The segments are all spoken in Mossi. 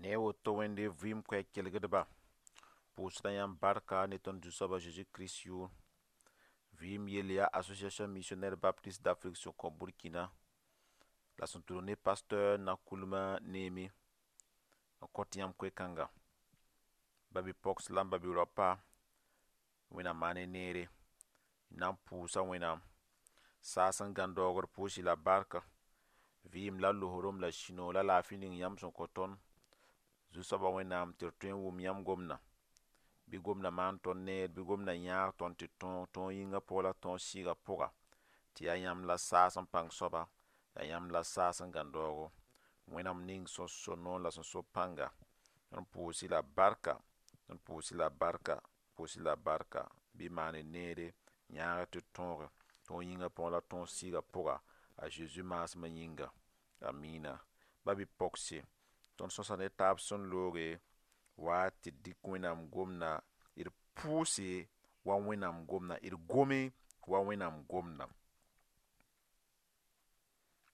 Ne woto Wẽnde vɩɩm koɛɛg kelgdba, pʋʋsda yãmb barka ne tõnd Zu-soaba Zeezi Kirist yʋʋr. Vɩɩm yell yaa Association Missionnaire Baptiste d'Afrique sẽn kõ Burkina la sẽn tʋlg ne pasteur Nakoulma Néhémie n kõt yãmb koe-kãnga. Ba-bi-poks la n ba-bi-raopa, Wẽnnaam maan ne neere. D na n pʋʋsa Wẽnnaam. Saas n gãn daoogr pʋʋs-y la barka. Vɩɩm la losrem la sũ-noog la laafɩ ning yãmb sẽn kõ tõnd Zu-soabã Wẽnnaam tɩ d tõe n wʋm yãmb gomdã. Bɩ gomdã maan tõnd neer, bɩ gomdã yãag tõnd tɩ tõog tõog yĩngã pʋgã la tõog sɩɩgã pʋga. Tɩ yaa yãmb la saas n pãng soaba, yaa yãmb la saas n gãn daoogo. Wẽnnaam ning sẽn so noor la sẽn so pãnga. Tõnd pʋʋs-y la barka, tõnd pʋʋs-y la barka, pʋʋs-y la barka. Bɩ maan neere, yãag tɩ tõoge, tõog yĩngã pʋgã la tõog sɩɩgã pʋga. A Zeezi maasmã yĩnga. Amina. Ba-bi-pogse, tõnd sõsa ne taab sẽn looge wa tɩ dɩk Wẽnnaam gomdã d pʋʋse wa Wẽnnaam gomdã, d gome wa Wẽnnaam gomdã.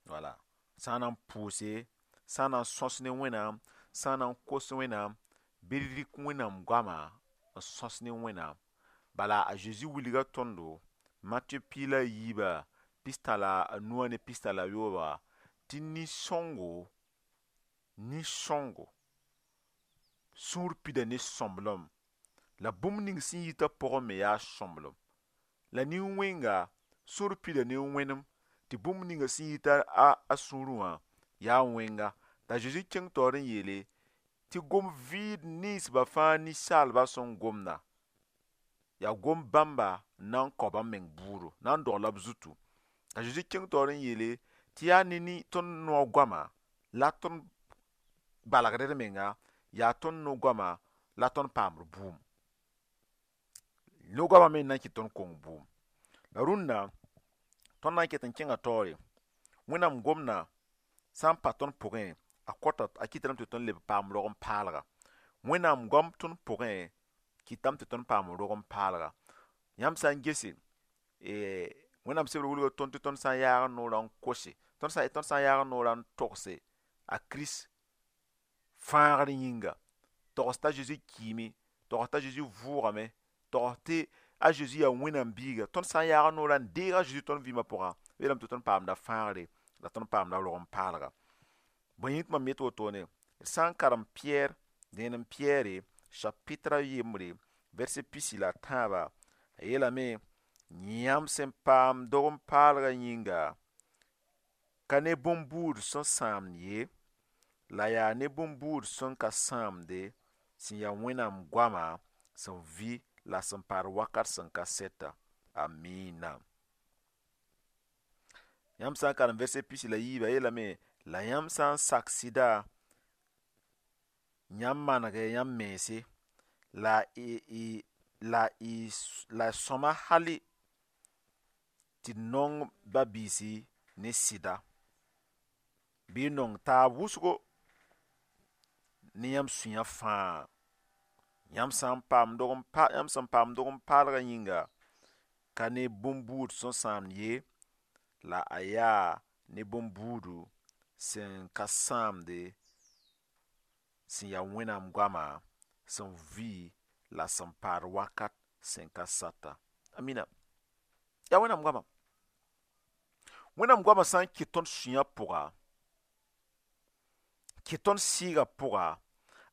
Wala sã n na n pʋʋse, sã n na n sõs ne Wẽnnaam, sã n na n kos Wẽnnaam, bɩ d rɩk Wẽnnaam goama n sõs ne Wẽnnaam. Bala a Zeezi wilga tõndo Matɩ piig la a yiiba pista la a nuã ne pista la yooba tɩ nin-sõngo nin-sõngo sũur pida ne sõmblem la bũmb ning sẽn yitã pʋgẽ me yaa sõmblem. La nin-wẽnga sũur pida ne wẽnem tɩ bũmb ninga sẽn yita a sũurẽ wã yaa wẽnga. T'a Zeezi kẽng taoor n yeele tɩ gom vɩɩd ninsba fãa ninsaalbã sẽn gomda yaa gom bãmba n na n kao bãmb meng buudo, na n dogla b zutu. T'a Zeezi kẽng taoor n yeele tɩ yaa ne tõnd noog goama la tõnd balgd d menga, yaa tõnd no-goama la tõnd paamd bʋʋm. No-goamã me n na n kɩt tõnd kong bʋʋm. La rũndã tõnd na n ket n kẽnga taoore. Wẽnnaam gomdã sã n pa tõnd pʋgẽ, a kõta a kɩtame tɩ tõnd leb paam rog n paalga. Wẽnnaam goam tõnd pʋgẽ kɩtame tɩ tõnd paam rog n paalga. Yãmb sã n gese, Wẽnnaam sebr wilga tõnd tɩ tõnd sã n yaag n noorã n kose, tõnd sã n yaag n noorã n togse a Kirist fãagr yĩnga, togs t'a Zeezi kiime, togs t'a Zeezi vʋʋgame, togs tɩ a Zeezi yaa Wẽnnaam biiga. Tõnd sã n yaag n noorã n deeg a Zeezi tõnd vɩɩmã pʋga, yeelame tɩ tõnd paamda fãagre la tõnd paamda rog n paalga. Bõe yĩng tɩ mam yet wotone, d sã n karem Piyɛr, dẽenem Piyɛre chapitre a yembre verset pisi la tãaba, a yeelame yãmb sẽn paam dog n paalgã yĩnga ka ne bõn-buud sẽn sãamd ye, la yaa ne bõn-buud sẽn ka sãamde, sẽn yaa Wẽnnaam goama sẽn vɩ la sẽn paad wakat sẽn ka sɛta. Amina. Yãmb sã n karem verset pisi la yiiba, yeelame la yãmb sã n sak sɩda, yãmb manegɛ yãmb mense la la sõma hali tɩ d nong ba-biisi ne sɩda, bɩ nong taab wʋsgo ne yãmb sũyã fãa. Yãmb sã n paam dog n pa, yãmb sẽn paam dog n paalgã yĩnga ka ne bõn-buud sẽn sãamd ye, la a yaa ne bõn-buudu sẽn ka sãamde, sẽn yaa Wẽnnaam goama sẽn vɩ la sẽn paad wakat sẽn ka sata. Amina. Yaa Wẽnnaam goama. Wẽnnaam goama sã n kɩt tõnd sũyã pʋga, kɩt tõnd sɩɩgã pʋga,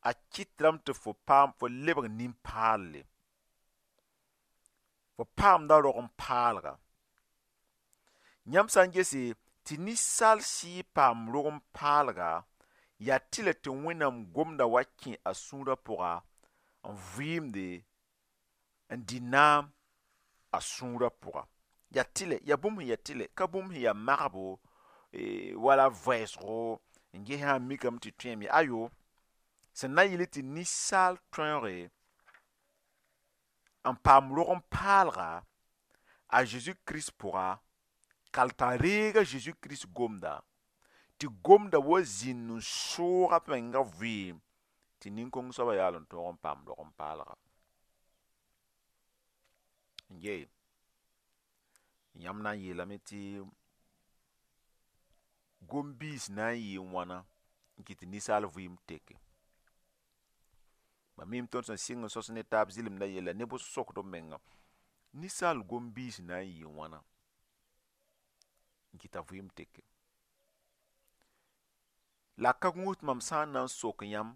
a kɩtame tɩ fo paam fo lebg nin-paalle. Fo paamda rog n paalga. Yãmb sã n gese tɩ ninsaal sɩɩ paam rog n paalga, yaa tɩlɛ tɩ Wẽnnaam gomda wa kẽ a sũurã pʋga n vɩɩmde n dɩ naam a sũurã pʋga. Yaa tɩlɛ, yaa bũmb sẽn yaa tɩlɛ, ka bũmb sẽn yaa magbo wala vɛɛsgo n ges sã n mikame tɩ tõeme. Ayo, sẽn na n yɩl tɩ ninsaal tõege n paam rog n paalga a Zeezi Kirist pʋga, kal t'a reeg a Zeezi Kirist gomda, tɩ gomda wa zĩnd n soog a menga vɩɩm tɩ nin-kõng soabã yaool n tõog n paam rog n paalga. N yee, yãmb na n yeelame tɩ gom-biis na n yɩɩ wãna n kɩt tɩ ninsaal vɩɩm teke. Mam miime tõnd sẽn sɩng n sõs ne taab zɩlemdã yella neb sokd b menga ninsaal gom-biis na n yɩɩ wãna n kɩta vɩɩm teke. La a ka gũus tɩ mam sã n na n sok yãmb,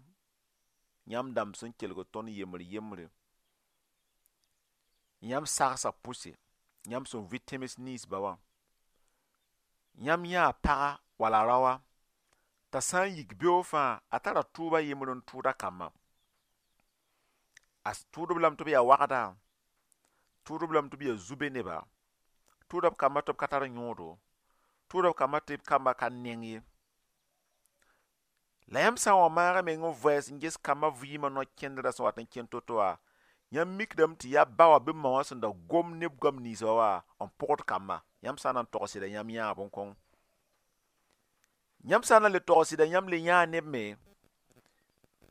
yãmb dãmb sẽn kelg tõnd yembr yembre, yãmb sagsa pʋse, yãmb sẽn vɩ tẽms ninsba wã, yãmb yãa paga wala raoa t'a sã n yik beoog fãa a tara tʋʋba yembr n tʋʋd a kambã. A tʋʋd-b lame tɩ b yaa wagda, tʋʋd-b lame tɩ b yaa zu-be neba, tʋʋda b kambã tɩ b ka tar yõodo, tʋʋda b kambã tɩ b kambã ka neng ye. La yãmb sã n wa maag meng n vɛɛs n ges kambã vɩɩmã no-kẽndrã sẽn wat n kẽnd to-to wã, yãmb mikdame tɩ yaa ba wã bɩ ma wã sẽn da gom ne b goam ninsba wã n pʋgd kambã. Yãmb sã n na n tog sɩda yãmb yãa bõn-kõng. Yãmb sã n na n le tog sɩda yãmb le yãa neb me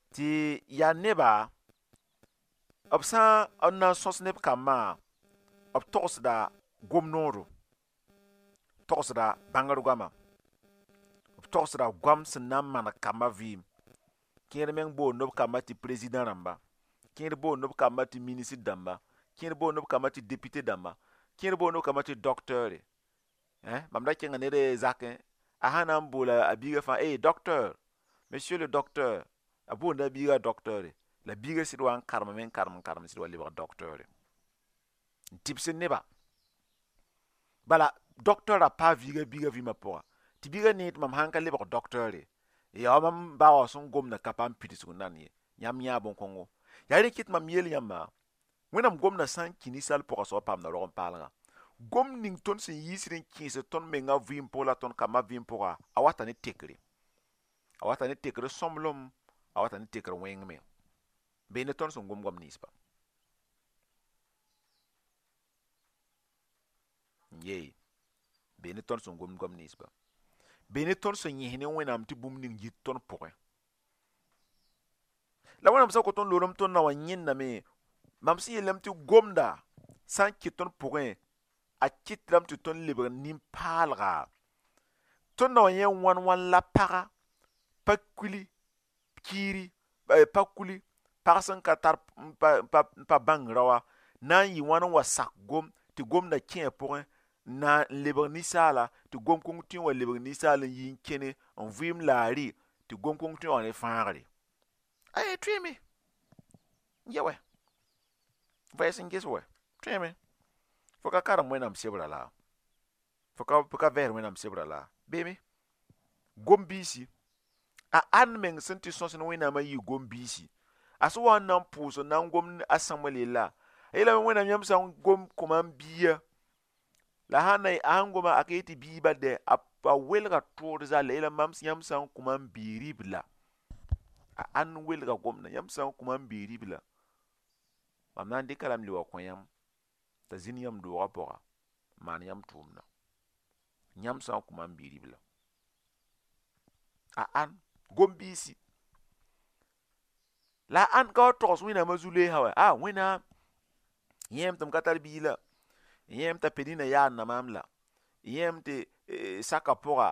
tɩ yaa neba b sã n na n sõs neb kambã, b togsda gom-noodo, togsda bãngr goama, b togsda goam sẽn na n maneg kambã vɩɩm. Kẽer meng boond b kambã tɩ président rãmba, kẽer boond b kambã tɩ ministre dãmba, kẽer boond b kambã tɩ député dãmba, kẽer boond b kambã tɩ docteur. Mam da kẽnga ned zakẽ, a sã na n boola a biigã fãa, eh docteur, monsieur le docteur, a boonda a biigã docteur, la biigã sɩd wa n karemame n karem n karem sɩd wa lebg docteur n tɩbsd neba. Bala docteur a paa viiga biigã vɩɩmã pʋga, tɩ biigã nee tɩ mam sãn ka lebg docteur yaa mam ba wã sẽn gomda ka paam pidsg n nan ye. Yãmb yãa bõn-kõngo. Yaa rẽ kɩt mam yeel yãmba, Wẽnnaam gomdã sã n kĩ ninsaal pʋga soab paamda rog n paalga. Gom ning tõnd sẽn yiisd n kẽesd tõnd menga vɩɩm pʋg la tõnd kambã vɩɩm pʋga, a wata ne tekre. A wata ne tekr sõmblem, a wata ne tekr wẽng me. Bee ne tõnd sẽn gom goam ninsba. Yee, bee ne tõnd sẽn gom goam ninsba. Bee ne tõnd sẽn yẽs ne Wẽnnaam tɩ bũmb ning yit tõnd pʋgẽ. La Wẽnnaam sã n kot n loorem tõnd na wã yẽndame, mam sẽn yeelame tɩ gomda sã n kɩt tõnd pʋgẽ, a kɩtdame tɩ tõnd lebg nin-paalga. Tõnd na wã yẽ wãn wãn la paga, pa kuli, kiiri, pa kuli, pag sẽn ka tar n pa bãng raoa, na n yɩ wãn n wa sak gom tɩ gomda kẽ a pʋgẽ, na n lebg ninsaala, tɩ gom-kõng tõe n wa lebg ninsaal n yi n kẽne n vɩɩm la a rɩ, tɩ gom-kõng tõe n wa ne fãagre. Ay, tõeme. Ya wɛ. Vɛɛs n ges wɛ. Tõeme. Fo ka karem Wẽnnaam sebra la. Fo ka vɛɛs Wẽnnaam sebra la. Beeme. Gom-biisi. A ãnd meng sẽn tɩ sõs ne Wẽnnaamã yɩ gom-biisi. A sẽn wa n na n pʋʋs n na n gom a Samuel yella, a yeelame Wẽnnaam yãmb sã n gom kõ mam bia, la sã n na a sãn goma a ka yet tɩ bii bal dɛ, a welga tood zall, a yeelame mam yãmb sã n kõ mam bi-ribla. A ãnd welga gomda, yãmb sã n kõ mam bi-ribla, mam na n dɩka lame le wa kõ yãmb t'a zĩnd yãmb doogã pʋga, n maan yãmb tʋʋmdã. Yãmb sã n kõ mam bi-ribla. A ãnd gom-biisi. La a ãnd ka wa togs Wẽnnaamã zu-loeesã wa, a Wẽnnaam yẽem tɩ m ka tar bii la, yẽem t'a Penina yaanda maam la, yẽem tɩ saka pʋga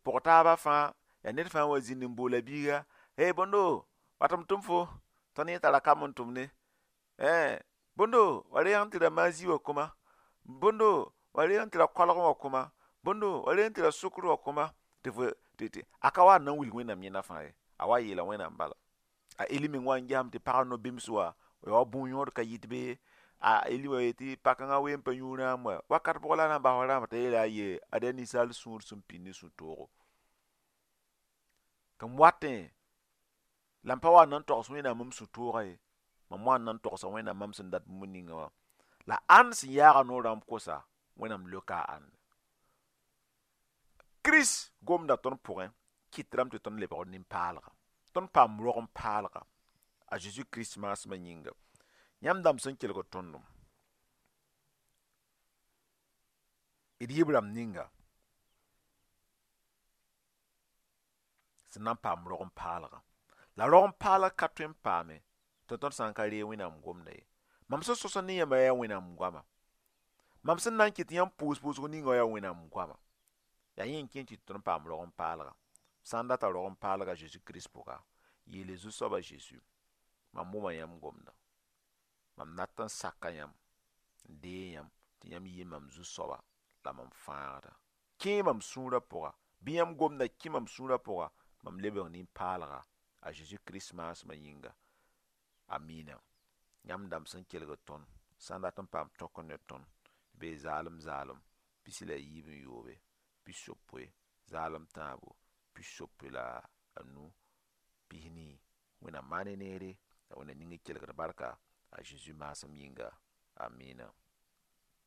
pʋg taabã fãa, yaa ned fãa wa zĩnd n boola biiga, hey bõndo, wat m tʋm fo, tõnd yẽ tara kam n tʋmde. Bõndo, wa reeg n tɩ ra mazi wã kʋma, bõndo, wa reeg n tɩ ra koalg wã kʋma, bõndo, wa reeg n tɩ ra sʋkr wã kʋma, tɩ fo tɩ a ka wa n na n wilg Wẽnnaam yẽnda fãa ye, a wa yeela Wẽnnaam bala. A Eli meng wa n gesame tɩ pagã no-bɩms wa, ya wa bõn-yõod ka yɩt be, a Eli wa yetɩ pa-kãngã wee n pa yũ rãam wa, wakat pʋgã la a na n bas rãamã t'a yeela a ye, ad yaa ninsaal sũur sẽn pĩnd ne sũ-toogo. Tɩ m watẽ, la m pa wa n na n togs Wẽnnaam m sũ-toogã ye, mam wa n na n togsa Wẽnnaam mam sẽn dat bũmb ninga wã. La ãnd sẽn yaaga noorã n kosa, Wẽnnaam leoka a ãnde. Kirist gomda tõnd pʋgẽ, kɩtrame tɩ tõnd lebg nin-paalga. Tõnd paam rog n paalga. A Jésus Kirist maasmã yĩnga. Yãmb dãmb sẽn kelg tõndem. D yib rãmb ninga sẽn na n paam rog n paalga. La rog n paalg ka tõe n paame tɩ tõnd sã n ka reeg Wẽnnaam gomda ye. Mam sẽn sõs ne yãmba yaa Wẽnnaam goama. Mam sẽn na n kɩt yãmb pʋʋs-pʋʋsg ninga yaa Wẽnnaam goama. Yaa yẽ n kẽ tɩ tõnd paam rog n paalga. Sã n data rog n paalga Jésus Kirist pʋga, yeele Zu-soaba Jésus, Mam wʋma yãmb gomdã. Mam dat n saka yãmb, n deeg yãmb tɩ yãmb yɩ mam zu-soaba la mam fãagda. Kẽe mam sũurã pʋga, bɩ yãmb gomdã kẽ mam sũurã pʋga, mam lebg nin-paalga a Zeezi Kirist maasmã yĩnga. Amina. Yãmb dãmb sẽn kelgd tõnd, sã n dat n paam tõk ne tõnd, bee zaalem zaalem 27 60 zaalem tãabo 65 40. Wẽnnaam maan ne neere la Wẽnnaam ning y kelgd barka a Zeezi maasem yĩnga. Amina.